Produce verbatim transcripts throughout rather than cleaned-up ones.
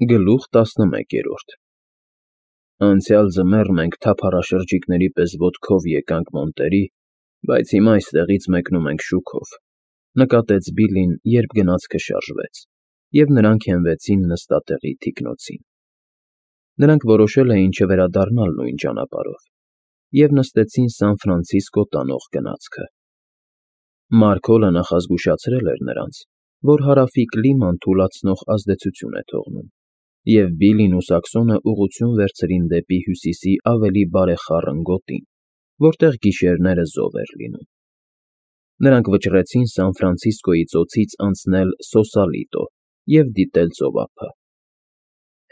Գլուխ տասնմեկերորդ Անցյալ ձմեռ մենք թափառաշրջիկների պես ոտքով եկանք Մոնտերի, բայց հիմա այստեղից մեկնում ենք շուքով, նկատեց Բիլլին, երբ գնացքը շարժվեց, և նրանք հենվեցին նստատեղի թիկնոցին։ Նրանք որոշել էին չվերադառնալ նույն ճանապարհով և նստեցին Սան Ֆրանցիսկո տանող գնացքը։ Մարգոլը նախազգուշացրել էր նրանց, որ հարավի կլիման թուլացնող ազդեցություն է թողնում, և Բիլլին ու Սակսոնը ուղղություն վերցրին դեպի հյուսիսի ավելի բարեխառն գոտին, որտեղ գիշերները զով էր լինում։ Նրանք վճռեցին Սան Ֆրանցիսկոյի ծոցից անցնել Սոսալիտո և դիտել ծովափը։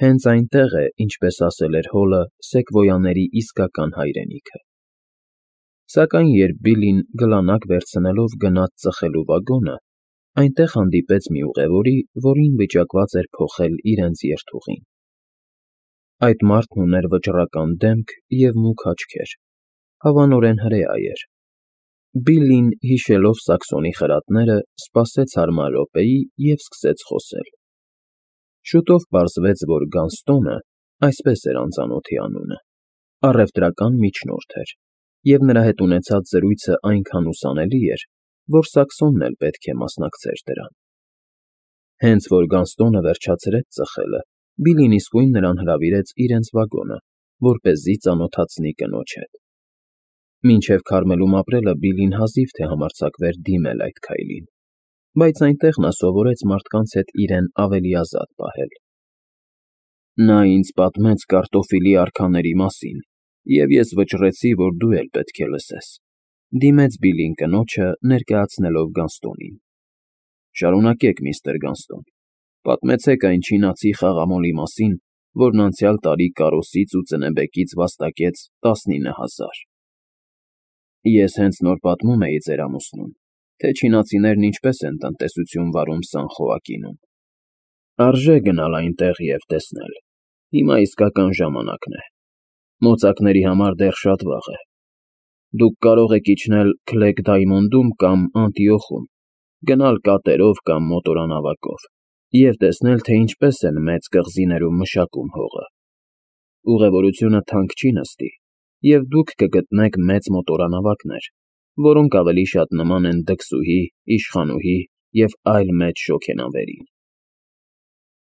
Հենց այնտեղ է, ինչպես ասել էր Հոլը, սեկվոյաների իսկական հայրենիքը։ Սակայն երբ Բիլլին գլանակ վերցնելով գնաց ծխելու վագոնը, այնտեղ հանդիպեց մի ուղևորի, որին վիճակված էր փոխել իրենց երթուղին։ Այդ մարդն ուներ վճռական դեմք և մուգ աչքեր, հավանորեն հրեա էր։ Բիլլին, հիշելով Սակսոնի խրատները, սպասեց հարմար րոպեի և սկսեց խոսել։ Շուտով պարզվեց, որ Գանստոնը (այսպես էր անծանոթի անունը) առևտրական միջնորդ էր, և նրա հետ ունեցած զրույցը այնքան ուսանելի էր, որ Սակսոնն էլ պետք է մասնակցեր դրան։ Հենց որ Գանստոնը վերջացրեց ծխելը, Բիլլին իսկույն նրան հրավիրեց իրենց վագոնը, որպեսզի ծանոթացնի կնոջ հետ։ Մինչև Քարմելում ապրելը Բիլլին հազիվ թե համարձակվեր դիմել այդ քայլին, բայց այնտեղ նա սովորեց մարդկանց հետ իրեն ավելի ազատ պահել։ Նա ինձ պատմեց կարտոֆիլի արքաների մասին, և ես վճռեցի, որ դու էլ պետք է լսես, ֊ դիմեց Բիլլին կնոջը, ներկայացնելով Գանստոնին։ Շարունակեք, միստր Գանստոն, պատմեցեք այն չինացի խաղամոլի մասին, որն անցյալ տարի կարոսից ու ծնեբեկից վաստակեց տասնինը հազար։ Ես հենց նոր պատմում էի ձեր ամուսնուն, թե չինացիներն ինչպես են տնտեսություն վարում Սան Խոակինում։ Արժե գնալ այնտեղ և տեսնել, հիմա իսկական ժամանակն է։ Մոծակների համար դեռ շատ վաղ է։ Դուք կարող եք իջնել Քլեգ Դայմոնդում կամ Անտիոխում, գնալ կատերով կամ մոտորանավակով և տեսնել, թե ինչպես են մեծ կղզիներում մշակում հողը։ Ուղևորությունը թանկ չի նստի, և դուք կգտնեք մեծ մոտորանավակներ, որոնք ավելի շատ նման են դքսուհի, իշխանուհի և այլ մեծ շոգենավերի։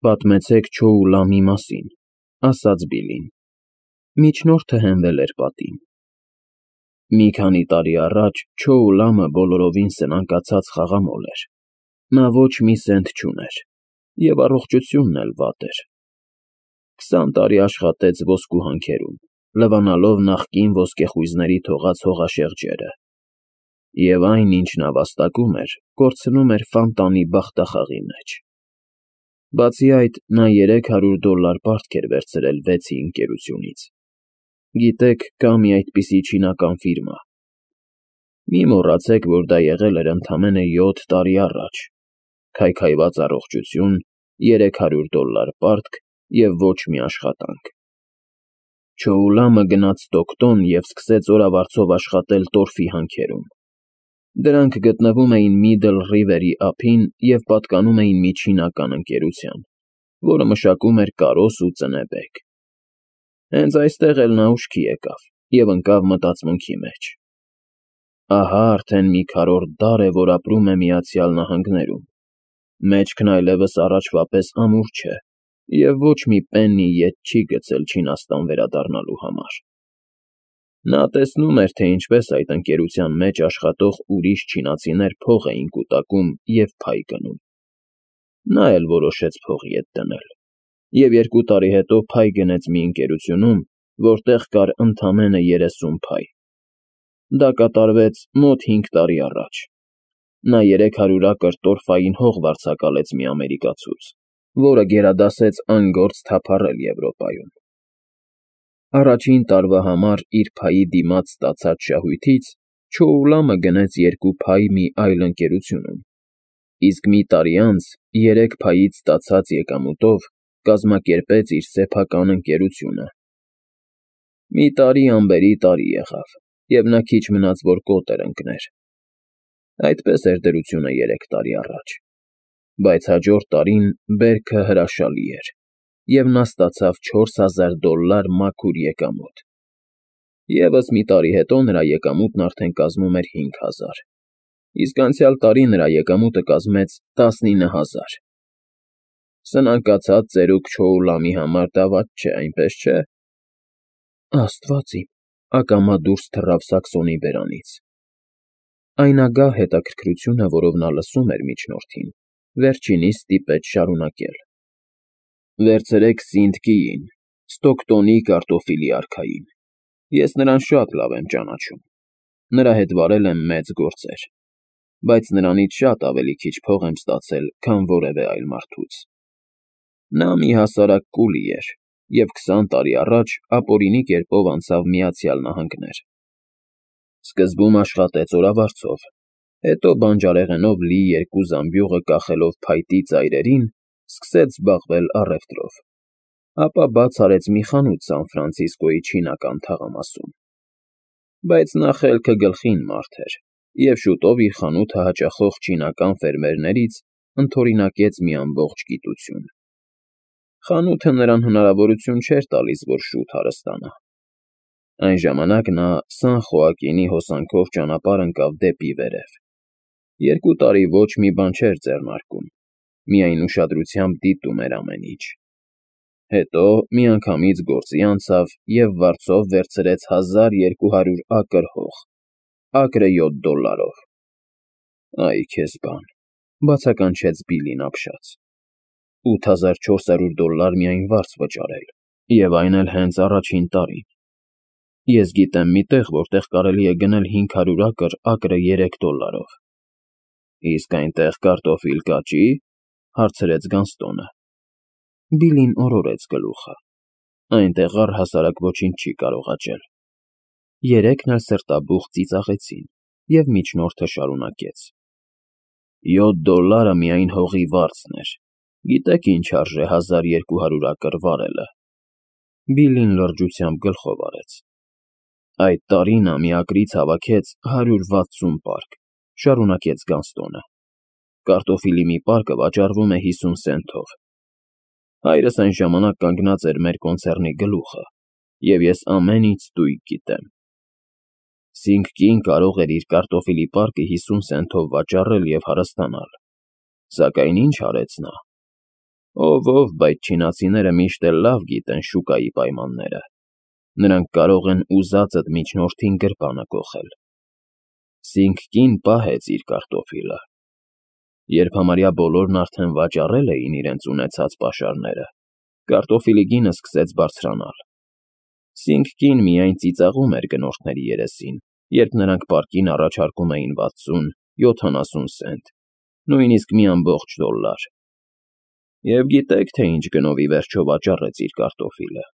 Պատմեցեք Չոուլամի մասին, ֊ ասաց Բիլլին։ Միջնորդը հենվել էր պատին։ Մի քանի տարի առաջ Չոուլամը բոլորովին սնանկացած խաղամոլ էր։ Նա ոչ մի սենտ չուներ, և առողջությունն էլ վատ էր։ Քսան տարի աշխատեց ոսկու հանքերում, լվանալով նախկին ոսկեխույզների թողած հողաշեղջերը, և այն, ինչ նա վաստակում էր, կորցնում էր Ֆանտանի բախտախաղի մեջ։ Բացի այդ, նա երեք հարյուր դոլլար պարտք էր վերցրել Վեցի ընկերությունից։ Գիտեք, կա մի այդպիսի չինական ֆիրմա։ Մի մոռացեք, որ դա եղել էր ընդամենը յոթ տարի առաջ, քայքայված առողջություն, երեք հարյուր դոլլար պարտք և ոչ մի աշխատանք։ Չոուլամը գնաց Ստոկտոն և սկսեց օրավարձով աշխատել տորֆի հանքերում։ Դրանք գտնվում էին Միդլ Ռիվերի ափին և պատկանում էին մի չինական ընկերության, որը մշակում էր կարոս ու ծնեբեկ։ Հենց այստեղ էլ նա ուշքի եկավ և ընկավ մտածմունքի մեջ։ Ահա արդեն մի քառորդ դար է, որ ապրում է Միացյալ Նահանգներում, մեջքն այլևս առաջվա պես ամուր չէ, և ոչ մի պեննի ետ չի գցել Չինաստան վերադառնալու համար։ Նա տեսնում էր, թե ինչպես այդ ընկերության մեջ աշխատող ուրիշ չինացիներ փող էին կուտակում և փայ գնում։ Նա էլ որոշեց փող ետ դնել, և երկու տարի հետո փայ գնեց մի ընկերությունում, որտեղ կար ընդամենը երեսուն փայ։ Դա կատարվեց մոտ հինգ տարի առաջ։ Նա երեք հարյուր ակր տորֆային հող վարձակալեց մի ամերիկացուց, որը գերադասեց անգործ թափառել Եվրոպայում։ Առաջին տարվա համար իր փայի դիմաց ստացած շահույթից Չոուլամը գնեց երկու փայ մի այլ ընկերությունում, իսկ մի տարի անց երեք փայից ստացած եկամուտով կազմակերպեց իր սեփական ընկերությունը։ Մի տարի անբերի տարի եղավ, և նա քիչ մնաց, որ կոտեր ընկներ։ Այդպես էր դրությունը երեք տարի առաջ, բայց հաջորդ տարին բերքը հրաշալի էր։ և նա ստացավ չորս հազար դոլլար մաքուր եկամուտ։ Եվս մի տարի հետո նրա եկամուտն արդեն կազմում էր հինգ հազար, իսկ անցյալ տարի նրա եկամուտը կազմեց տասնինը հազար։ Սնանկացած ծերուկ Չոուլամի համար դա վատ չէ, այնպես չէ՞։ Աստված իմ, ակամա դուրս թռավ Սաքսոնի բերանից։ Այն ագահ հետաքրքրությունը, որով նա լսում էր միջնորդին, վերջինիս ստիպեց շարունակել. Վերցրեք Սինթկիին, Ստոկտոնի կարտոֆիլի արքային։ Ես նրան շատ լավ եմ ճանաչում։ Նրա հետ վարել եմ մեծ գործեր, բայց նրանից շատ ավելի քիչ փող եմ ստացել, քան որևէ այլ մարդուց։ Նա մի հասարակ կուլի էր և քսան տարի առաջ ապօրինի կերպով անցավ Միացյալ Նահանգներ։ Սկզբում աշխատեց օրավարձով, հետո բանջարեղենով լի երկու զամբյուղը կախելով փայտի ծայրերին, սկսեց զբաղվել առևտրով, ապա բաց արեց մի խանութ Սան Ֆրանցիսկոյի չինական թաղամասում։ Բայց նա խելքը գլխին մարդ էր և շուտով իր խանութը հաճախող չինական ֆերմերներից ընդօրինակեց մի ամբողջ գիտություն։ Խանութը նրան հնարավորություն չէր տալիս, որ շուտ հարստանա։ Այն ժամանակ նա Սան Խոակինի հոսանքով ճանապարհ ընկավ դեպի վերև։ Երկու տարի ոչ մի բան չէր ձեռնարկում, միայն ուշադրությամբ դիտում էր ամեն ինչ։ Հետո միանգամից գործի անցավ և վարձով վերցրեց հազար երկու հարյուր ակր հող, ակրը յոթ դոլլարով։ Այ քեզ բան, բացականչեց Բիլլին ապշած, ութ հազար չորս հարյուր դոլլար միայն վարձ վճարել, և այն էլ հենց առաջին տարին։ Ես գիտեմ մի տեղ, որտեղ կարելի է գնել հինգ հարյուր ակր, ակրը երեք դոլլարով։ Իսկ այնտեղ կարտոֆիլ կա՞ճի, հարցրեց Գանստոնը։ Բիլլին օրորեց գլուխը։ Այնտեղ առհասարակ ոչինչ չի կարող աճել։ Երեքն էլ սրտաբուխ ծիծաղեցին, և միջնորդը շարունակեց. Յոթ դոլլարը միայն հողի վարձն էր։ Գիտեք ինչ արժե հազար երկու հարյուր ակր վարելը։ Բիլլին լրջությամբ գլխով արեց։ Այդ տարի նա մի ակրից հավաքեց հարյուր վաթսուն պարկ, շարունակեց Գանստոնը։ Կարտոֆիլի մի պարկը վաճառվում է հիսուն սենթով։ Հայրս այն ժամանակ կանգնած էր մեր կոնցեռնի գլուխը, և ես ամեն ինչ ստույգ գիտեմ։ Սինգկին կարող էր իր կարտոֆիլի պարկը հիսուն սենթով վաճառել և հարստանալ։ Սակայն ինչ արեց նա։ Ով ով, բայց չինացիները միշտ էլ լավ գիտեն շուկայի պայմանները։ Նրանք կարող են ուզածդ միջնորդին գրպանը կոխել։ Սինգկին պահեց իր կարտոֆիլը։ Երբ համարյա բոլորն արդեն վաճառել էին իրենց ունեցած պաշարները, կարտոֆիլի գինը սկսեց բարձրանալ։ Սինգկին միայն ծիծաղում էր գնորդների երեսին, երբ նրանք պարկին առաջարկում էին վաթսուն, յոթանասուն սենտ, նույնիսկ մի ամբողջ դոլլար։ Եվ գիտեք, թե ինչ գնով ի վերջո վաճառեց իր կարտոֆիլը։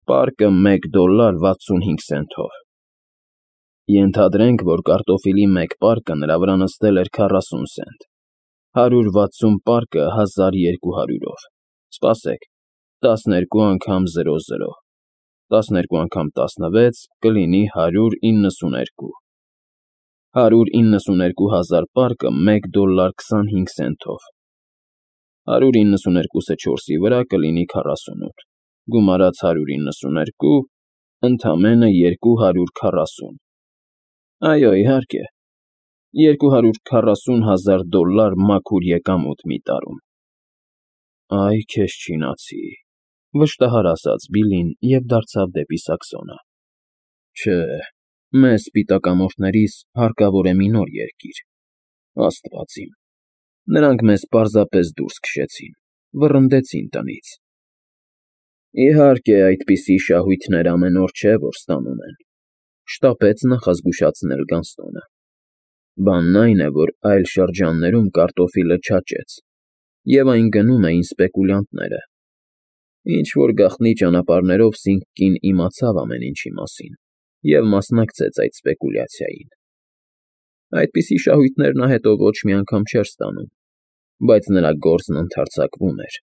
Պարկը մեկ դոլլար վաթսունհինգ սենթով։ Ենթադրենք, որ կարտոֆիլի մեկ պարկը նրա վրա նստել էր քառասուն սենտ, հարյուր վաթսուն պարկը հազար երկու հարյուրով։ Սպասեք, տասներկու անգամ զրո զրո, տասներկու անգամ տասնվեց կլինի հարյուր իննսուներկու։ Հարյուր իննսուներկու հազար պարկը մեկ դոլլար քսանհինգ սենթով։ Հարյուր իննսուներկուսը չորսի վրա կլինի քառասունութ, գումարած հարյուր իննսուներկու, ընդամենը երկու հարյուր քառասուն։ Այո, իհարկե, երկու հարյուր քառասուն հազար դոլլար մաքուր եկամուտ մի տարում։ Այ քեզ չինացի, վշտահար ասաց Բիլլին և դարձավ դեպի Սաքսոնը։ Չէ, մեզ սպիտակամորթներիս հարկավոր է մի նոր երկիր։ Աստված իմ, նրանք մեզ պարզապես դուրս քշեցին, վռնդեցին տնից։ Իհարկե, այդպիսի շահույթներ ամեն օր չէ, որ ստանում են, շտապեց նախազգուշացնել Գանստոնը։ Բանն այն է, որ այլ շրջաններում կարտոֆիլը չաճեց, և այն գնում էին սպեկուլյանտները։ Ինչ-որ գաղտնի ճանապարհներով Սինգկին իմացավ ամեն ինչի մասին և մասնակցեց այդ սպեկուլյացիային։ Այդպիսի շահույթներ նա հետո ոչ մի անգամ չէր ստանում, բայց նրա գործն ընդարձակվում էր։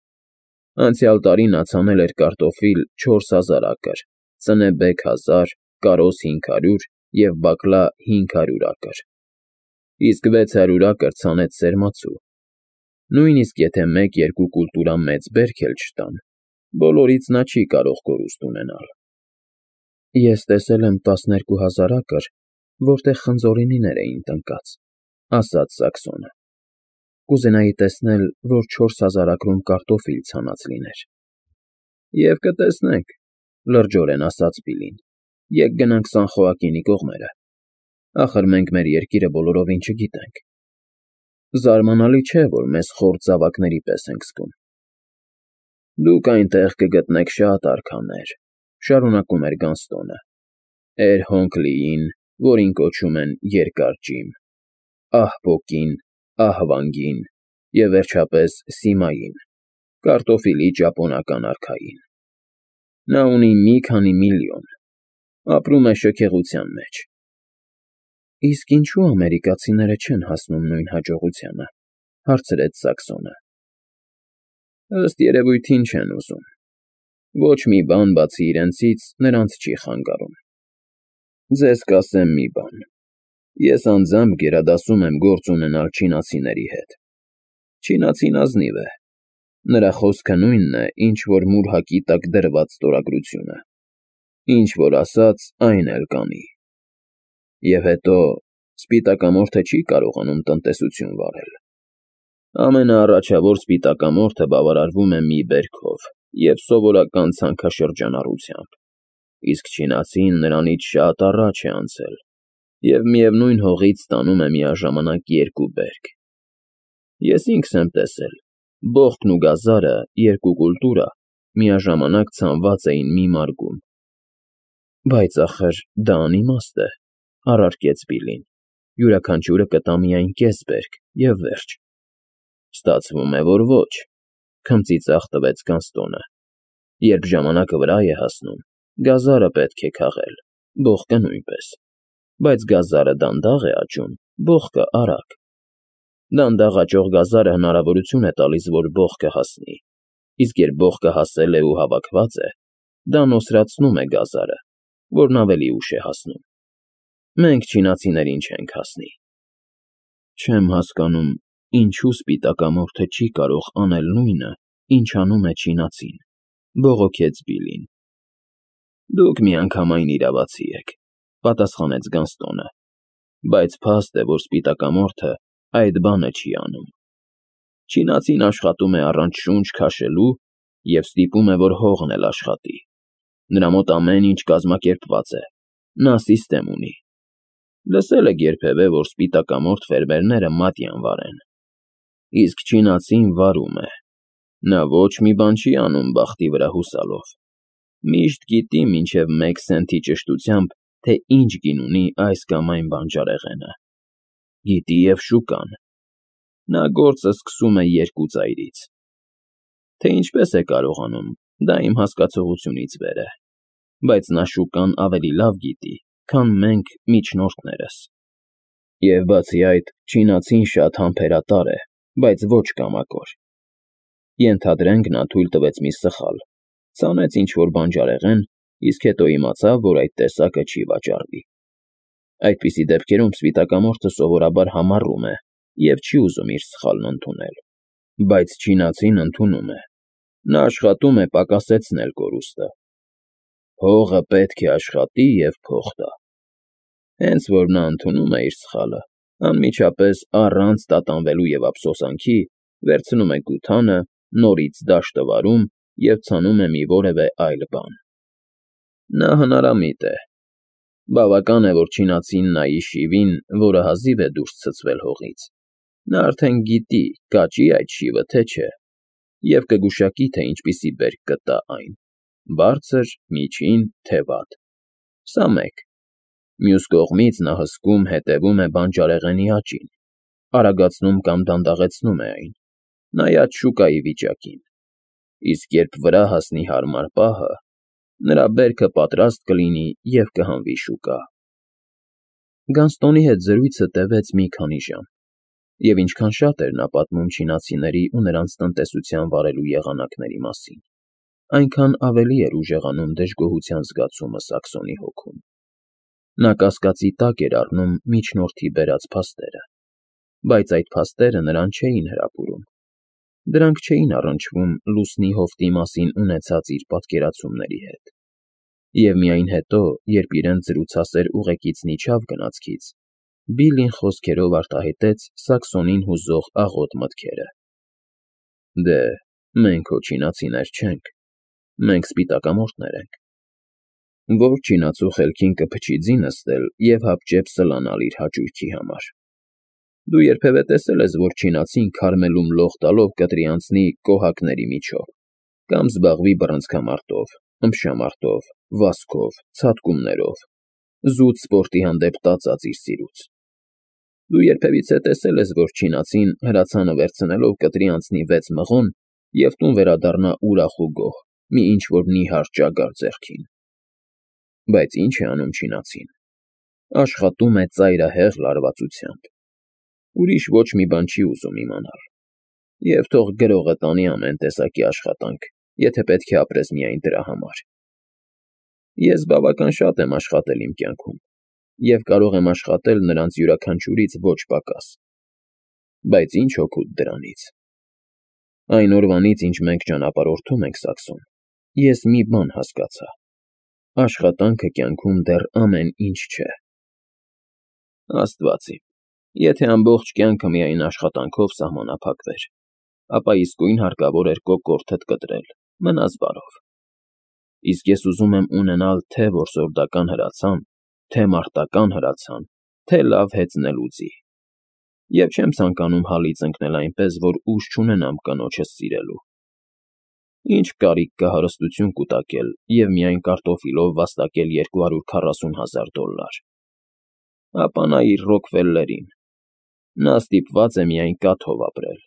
Անցյալ տարի նա ցանել էր կարտոֆիլ չորս հազար ակր, ծնեբեկ հազար, կարոզ հինգ հարյուր և բակլա հինգ հարյուր ակր, իսկ վեց հարյուր ակր ցանեց սերմացու։ Նույնիսկ եթե մեկ֊երկու կուլտուրա մեծ բերք էլ չտան, բոլորից նա չի կարող կորուստ ունենալ։ Ես տեսել եմ տասներկու հազար ակր, որտեղ խնձորենիներ էին տնկած, ասաց Սաքսոնը։ Կուզենայի տեսնել, որ չորս հազար ակրում կարտոֆիլ ցանած լիներ։ Եվ կտեսնենք, լրջորեն ասաց Բիլլին, եկ գնանք Սանխոակինի կողմերը, ախր մենք մեր երկիրը բոլորովին չգիտենք։ Զարմանալի չէ, որ մեզ խորթ զավակների պես ենք զգում։ Դուք այնտեղ կգտնեք շատ արքաներ, շարունակում էր Գանստոնը, Էր Հոնքլիին, որին կոչում են Երկար Ջիմ, Ահպոկին, Ահվանգին և վերջապես Սիմային, կարտոֆիլի ճապոնական արքային։ Նա ունի մի քանի միլիոն, ապրում է շքեղության մեջ։ Իսկ ինչու ամերիկացիները չեն հասնում նույն հաջողությանը, հարցրեց Սաքսոնը։ Ըստ երևույթին չեն ուզում։ Ոչ մի բան բացի իրենցից նրանց չի խանգարում։ Ձեզ կասեմ մի բան. ես անձամբ գերադասում եմ գործ ունենալ չինացիների հետ։ Չինացին ազնիվ է։ Նրա խոսքը նույնն է, ինչ որ մուրհակի տակ դրված ստորագրությունը։ Ինչ որ ասաց, այն էլ կանի։ Եվ հետո սպիտակամորթը չի կարողանում տնտեսություն վարել։ Ամենաառաջավոր սպիտակամորթը բավարարվում է մի բերքով և սովորական ցանքաշրջանառությամբ, իսկ չինացին նրանից շատ առաջ է անցել և միևնույն հողից ստանում է միաժամանակ երկու բերք։ Ես ինքս եմ տեսել, բոխկն ու գազարը, երկու կուլտուրա, միաժամանակ ցանված էին մի մարգում։ Բայց ախր դա անիմաստ է, առարկեց Բիլլին, յուրաքանչյուրը կտա միայն կես բերք և վերջ։ Ստացվում է, որ ոչ, քմծիծաղ տվեց Գանստոնը։ Երբ ժամանակը վրա է հասնում, գազարը պետք է քաղել, բոխկը նույնպես, բայց գազարը դանդաղ է աճում, բոխկը՝ արագ։ Դանդաղ աճող գազարը հնարավորություն է տալիս, որ բոխկը հասնի, իսկ երբ բոխկը հասել է ու հավաքված է, դա նոսրացնում է գազարը, որն ավելի ուշ է հասնում։ Մենք չինացիներին չենք հասնի։ Չեմ հասկանում, ինչու սպիտակամորթը չի կարող անել նույնը, ինչ անում է չինացին, բողոքեց Բիլլին։ Դուք միանգամայն իրավացի եք, պատասխանեց Գանստոնը, բայց փաստ է, որ սպիտակամորթը այդ բանը չի անում։ Չինացին աշխատում է առանց շունչ քաշելու և ստիպում է, որ հողն էլ աշխատի։ Նրա մոտ ամեն ինչ կազմակերպված է, նա սիստեմ ունի։ Լսել եք երբևէ, որ սպիտակամորթ ֆերմերները մատյան վարեն։ Իսկ չինացին վարում է։ Նա ոչ մի բան չի անում բախտի վրա հուսալով։ Միշտ գիտի մինչև մեկ սենթի ճշտությամբ, թե ինչ գին ունի այս կամ այն բանջարեղենը։ Գիտի և շուկան։ Նա գործը սկսում է երկու ծայրից։ Թե ինչպես է կարողանում, դա իմ հասկացողությունից վեր է, բայց նա շուկան ավելի լավ գիտի, քան մենք միջնորդներս։ Եվ բացի այդ, չինացին շատ համբերատար է, բայց ոչ կամակոր։ Ենթադրենք, նա թույլ տվեց մի սխալ, ցանեց ինչ-որ բանջարեղեն, իսկ հետո իմացավ, որ այդ տեսակը չի վաճառվի։ Այդպիսի դեպքերում սպիտակամորթը սովորաբար համառում է և չի ուզում իր սխալն ընդունել։ Բայց չինացին ընդունում է։ Նա աշխատում է պակասեցնել կորուստը։ Հողը պետք է աշխատի և փող տա։ Հենց որ նա ընդունում է իր սխալը, անմիջապես առանց տատանվելու և ափսոսանքի, վերցնում է գութանը, նորից դաշտը վարում և ցանում է մի որևէ այլ բան։ Նա հնարամիտ է։ Բավական է, որ չինացին նայի շիվին, որը հազիվ է դուրս ցցվել հողից։ Նա արդեն գիտի, կաճի այդ շիվը, թե չէ, և կգուշակի, թե ինչպիսի բերք կտա այն՝ բարձր, միջին, թե վատ։ Սա մեկ։ Մյուս կողմից նա հսկում, հետևում է բանջարեղենի աճին, արագացնում կամ դանդաղեցնում է այն, նայած շուկայի վիճակին։ Իսկ երբ վրա հասնի հարմար պահը, նրա բերքը պատրաստ կլինի և կհանվի շուկա։ Գանստոնի հետ զրույցը տևեց մի քանի ժամ, և ինչքան շատ էր նա պատմում չինացիների ու նրանց տնտեսության վարելու եղանակների մասին, այնքան ավելի էր ուժեղանում դժգոհության զգացումը Սաքսոնի հոգում։ Նա կասկածի տակ էր առնում միջնորդի բերած փաստերը, բայց այդ փաստերը նրան չէին հրապուրում։ Դրանք չէին առնչվում Լուսնի հովտի մասին ունեցած իր պատկերացումների հետ, և միայն հետո, երբ իրենց զրուցասեր ուղեկիցն իջավ գնացքից, Բիլլին խոսքերով արտահայտեց Սաքսոնին հուզող աղոտ մտքերը. «Դե, մենք հո չինացիներ չենք, մենք սպիտակամորթներ ենք։ Ո՞ր չինացու խելքին կփչի ձի նստել և հապճեպ սլանալ իր հաճույքի համար։ Դու երբևէ տեսե՞լ ես, որ չինացին քարմելում լող տալով կտրի անցնի կոհակների միջով կամ զբաղվի բռնցքամարտով, ըմբշամարտով, վազքով, ցատկումներով, զուտ սպորտի հանդեպ տածած իր սիրուց։ Դու երբևիցե տեսե՞լ ես, որ չինացին հրացանը վերցնելով կտրի անցնի վեց մղոն և տուն վերադառնա ուրախ ու գոհ, մի ինչ֊որ նիհար ճագար ձեռքին։ Բայց ի՞նչ է անում չինացին։ Աշխատում է ծայրահեղ լարվածությամբ։ Ուրիշ ոչ մի բան չի ուզում իմանալ։ Եվ թող գրողը տանի ամեն տեսակի աշխատանք, եթե պետք է ապրես միայն դրա համար։ Ես բավական շատ եմ աշխատել իմ կյանքում և կարող եմ աշխատել նրանց յուրաքանչյուրից ոչ պակաս։ Բայց ի՞նչ օգուտ դրանից։ Այն օրվանից, ինչ մենք ճանապարհորդում ենք Սաքսոն, ես մի բան հասկացա. աշխատանքը կյանքում դեռ ամեն ինչ չէ։ Աստված իմ, եթե ամբողջ կյանքը միայն աշխատանքով սահմանափակվեր, ապա իսկույն հարկավոր էր կոկորդդ կտրել, մնաս բարով։ Իսկ ես ուզում եմ ունենալ թե՛ որսորդական հրացան, թե՛ մարտական հրացան, թե՛ լավ հեծնելու ձի։ Եվ չեմ ցանկանում հալից ընկնել այնպես, որ ուժ չունենամ կնոջս սիրելու։ Ի՞նչ կարիք կա հարստություն կուտակել և միայն կարտոֆիլով վաստակել երկու հարյուր քառասուն հազար դոլլար։ Ապա նայիր Ռոքֆելլերին. նա ստիպված է միայն կաթով ապրել։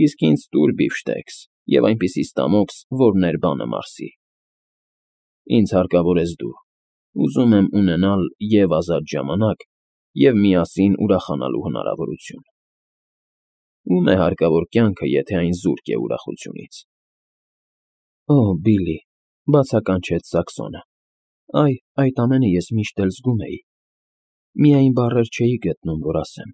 Իսկ ինձ տուր բիֆշտեքս և այնպիսի ստամոքս, որ ներբանը մարսի։ Ինձ հարկավոր ես դու, ուզում եմ ունենալ և՛ ազատ ժամանակ, և՛ միասին ուրախանալու հնարավորություն։ Ո՞ւմ է հարկավոր կյանքը, եթե այն զուրկ է ուրախությունից։ Օ՜, Բիլլի,֊ բացականչեց Սաքսոնը,֊ այ, այդ ամենը ես միշտ էլ զգում էի, միայն բառեր չէի գտնում, որ ասեմ։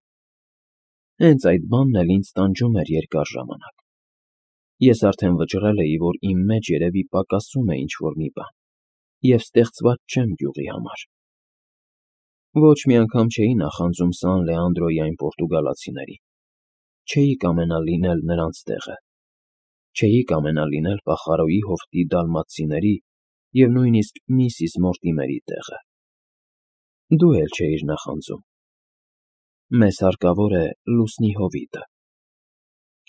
Հենց այդ բանն էլ ինձ տանջում էր երկար ժամանակ։ Ես արդեն վճռել էի, որ իմ մեջ երևի պակասում է ինչ֊որ մի բան, և ստեղծված չեմ գյուղի համար։ Ոչ մի անգամ չէի նախանձում Սան Լեանդրոյի այն պորտուգալացիներին, չէի կամենալ լինել նրանց տեղը, չէի կամենալ լինել Պախարոյի հովտի դալմաթցիների և նույնիսկ միսիս Մորտիմերի տեղը։ Դու էլ չէիր նախանձում։ Մեզ հարկավոր է Լուսնի հովիտը։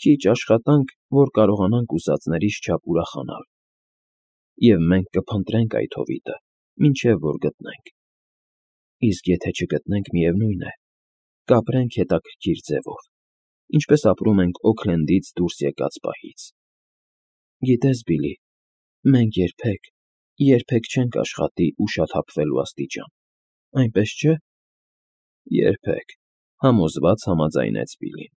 Քիչ աշխատանք, որ կարողանանք ուզածներիս չափ ուրախանալ։ Եվ մենք կփնտրենք այդ հովիտը, մինչև որ գտնենք։ Իսկ եթե չգտնենք, միևնույն է, կապրենք հետաքրքիր ձևով, ինչպես ապրում ենք Օքլենդից դուրս եկած պահից։ Գիտես, Բիլլի, մենք երբեք, երբեք չենք աշխատի ուշաթափվելու աստիճան, այնպես չէ՞։ Երբեք,֊ համոզված համաձայնեց Բիլլին։